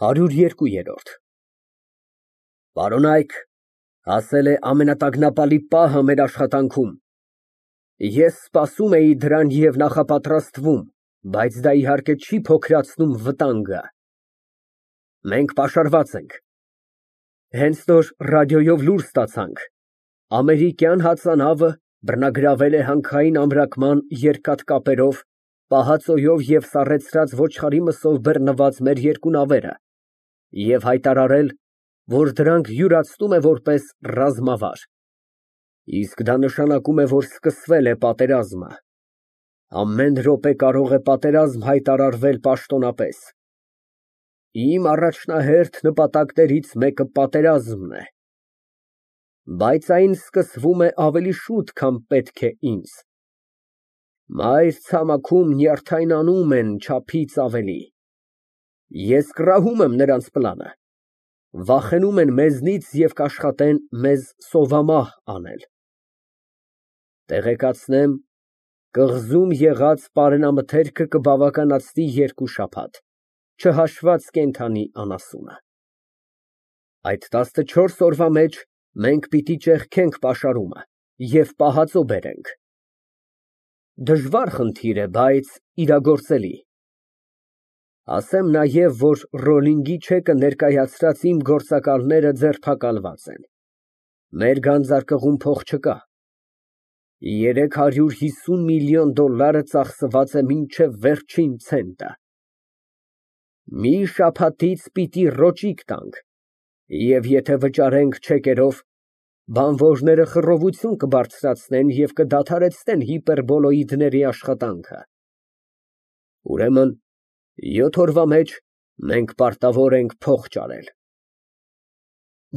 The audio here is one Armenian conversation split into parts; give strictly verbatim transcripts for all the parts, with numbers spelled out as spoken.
հարյուր երկու։ Պարոնայք, հասել է ամենատագնապալի պահը մեր աշխատանքում։ Ես սպասում էի դրան և նախապատրաստվում, բայց դա, իհարկե, չի փոքրացնում վտանգը։ Մենք պաշարված ենք։ Հենց նոր ռադիոյով լուր ստացանք. ամերիկյան հածանավը բռնագրավել է հանքային ամրակման երկաթ կապերով, պահածոյով և սառեցրած ոչխարի մսով բռնված մեր երկու նավերը և հայտարարել, որ դրանք յուրացնում է որպես ռազմավար, իսկ դա նշանակում է, որ սկսվել է պատերազմը։ Ամեն րոպե կարող է պատերազմ հայտարարվել պաշտոնապես։ Իմ առաջնահերթ նպատակներից մեկը պատերազմն է, բայց այն սկսվում է ավելի շուտ, քան պետք է ինձ։ Մայր ցամաքում նյարդայնանում են չափից ավելի։ Ես կռահում եմ նրանց պլանը, վախենում են մեզնից և կաշխատեն մեզ սովամահ անել։ Տեղեկացնեմ, կղզում եղած պարենամթերքը կբավականացնի երկու շաբաթ, չհաշված կենդանի անասունը։ Այդ տասնչորս օրվա մեջ մենք պիտի ճեղքենք պաշարումը և պահածո բերենք։ Դժվար խնդիր է, բայց իրագործելի։ Ասեմ նաև, որ Ռոլինգի չեկը ներկայացրած իմ գործակալները ձերբակալված են։ Մեր գանձարկղում փող չկա։ Երեք հարյուր հիսուն միլիոն դոլարը ծախսված է մինչև վերջին ցենտը։ Մի շաբաթից պիտի ռոճիկ տանք, և եթե վճարենք չեկերով, բանվորները խռովություն կբարձրացնեն և կդադարեցնեն հիպերբոլոիդների աշխատանքը։ Ուրեմն յոթ օրվա մեջ մենք պարտավոր ենք փող ճարել։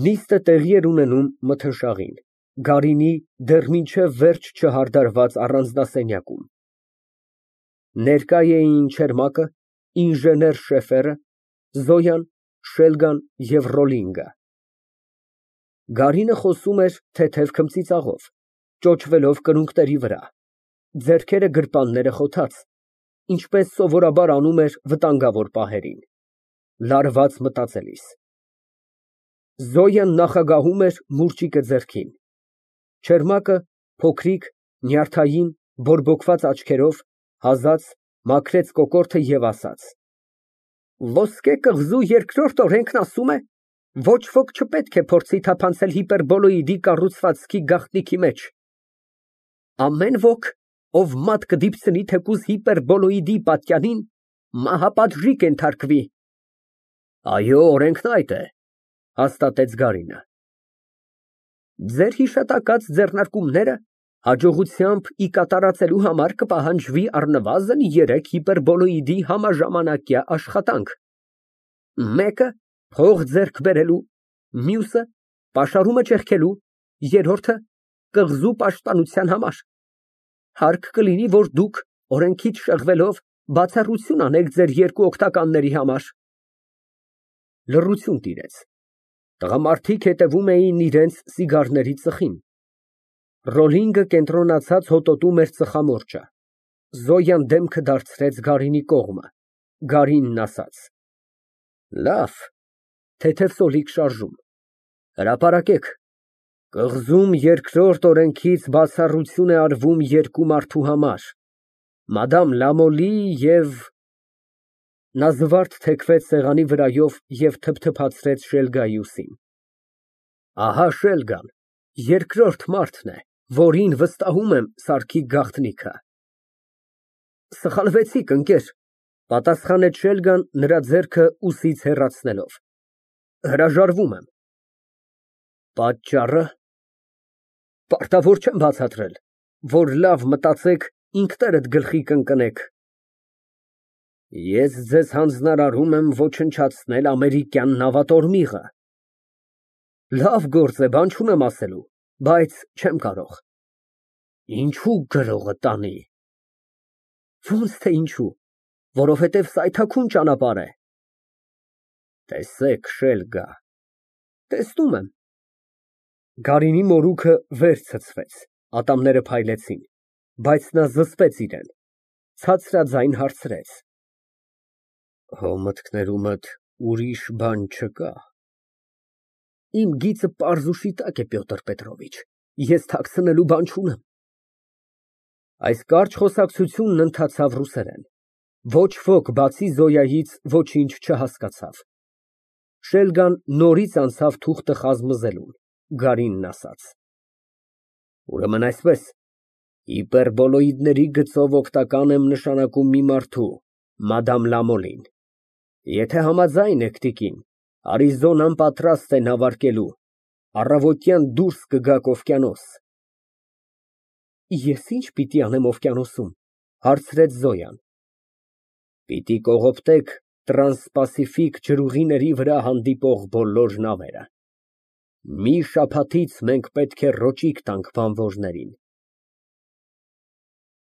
Նիստը տեղի էր ունենում մթնշաղին, Գարինի դեռ մինչև վերջ չհարդարված առանձնասենյակում։ Ներկա էին Չերմակը, ինժեներ Շեֆերը, Զոյան, Շելգան և Ռոլինգը։ Գարինը խոսում էր թեթև քմծիծաղով, ճոճվելով կրունկների վրա, ձեռքերը գրպանները խոթած, ինչպես սովորաբար անում էր վտանգավոր պահերին, լարված մտածելիս։ Զոյան նախագահում էր մուրճիկը ձեռքին։ Չերմակը, փոքրիկ, նյարդային, բորբոքված աչքերով, հազաց, մաքրեց կոկորդը և ասաց. Ոսկե կղզու երկրորդ օրենքն ասում է, ոչ ոք չպետք է փորձի թափանցել հիպերբոլոիդի կառուցվածքի գաղտնիքի մեջ։ Ամեն ոք, ով մատ կդիպցնի թեկուզ հիպերբոլոիդի պատյանին, մահապատժի կենթարկվի։ Այո, օրենքն այդ է, հաստատեց Գարինը։ Ձեր հիշատակած ձեռնարկումները հաջողությամբ ի կատարածելու համար կպահանջվի առնվազն երեք հիպերբոլոիդի համաժամանակյա աշխատանք. մեկը փող ձեռք բերելու, մյուսը պաշարումը ճեղքելու, երրորդը կղզու պաշտպանության համար։ Հարկ կլինի, որ դուք, օրենքից շեղվելով, բացառություն անեք ձեր երկու օգնականների համար։ Լռություն տիրեց։ Տղամարդիկ հետևում էին իրենց սիգարների ծխին։ Ռոլինգը կենտրոնացած հոտոտում էր ծխամորճը։ Զոյան դեմքը դարձրեց Գարինի կողմը։ Գարինն ասաց. Լավ, թեթև սոլիկ շարժում, հրապարակեք, կղզում երկրորդ օրենքից բացառություն է արվում երկու մարդու համար, մադամ Լամոլի և… Նա զվարթ թեքվեց սեղանի վրայով և թփթփացրեց Շելգայի ուսին։ Ահա Շելգան, երկրորդ մարդն է, որին վստահում եմ սարքի գաղտնիքը։ Սխալվեցիք, ընկեր, պատասխանեց Շելգան, նրա ձեռքը ուսից հեռացնելով։ Հրաժարվում եմ։ Պատճառը… Պարտավոր չեմ բացատրել, որ լավ մտածեք, ինքներդ գլխի կընկնեք։ Ես ձեզ հանձնարարում եմ ոչնչացնել ամերիկյան նավատորմիղը։ Լավ գործ է, բան չունեմ ասելու, բայց չեմ կարող։ Ինչո՞ւ գրողը տանի։ Ո՞նց թե ինչու, որովհետև սայթաքուն ճանապարհ է։ Տեսեք, Շելգա, տեսնում եմ։ Գարինի մորուքը վեր ցցվեց, ատամները փայլեցին, բայց նա զսպեց իրեն, ցածրաձայն հարցրեց. Հո մտքներումդ Ուրիշ բան չկա։ Իմ գիծը պարզ ու շիտակ է, Պյոտր Պետրովիչ, ես թաքցնելու բան չունեմ։ Այս կարճ խոսակցությունն ընթացավ ռուսերեն։ Ոչ ոք, բացի Զոյայից, ոչինչ չհասկացավ։ Շելգան նորից անցավ թուղթը խազմզելուն, Գարինն ասաց. Ուրեմն այսպես, հիպերբոլոիդների գծով օգտական եմ նշանակում մի մարդու, մադամ Լամոլին։ Եթե համաձայն եք, տիկին, Արիզոնան պատրաստ է նավարկելու, առավոտյան դուրս կգաք օվկիանոս։ Ես ի՞նչ պիտի անեմ օվկիանոսում, հարցրեց Զոյան։ Պիտի կողոպտեք տրանսպասիֆիկ ջրուղիների վրա հանդիպող բոլոր նավերը։ Մի շաբաթից մենք պետք է ռոճիկ տանք բանվորներին։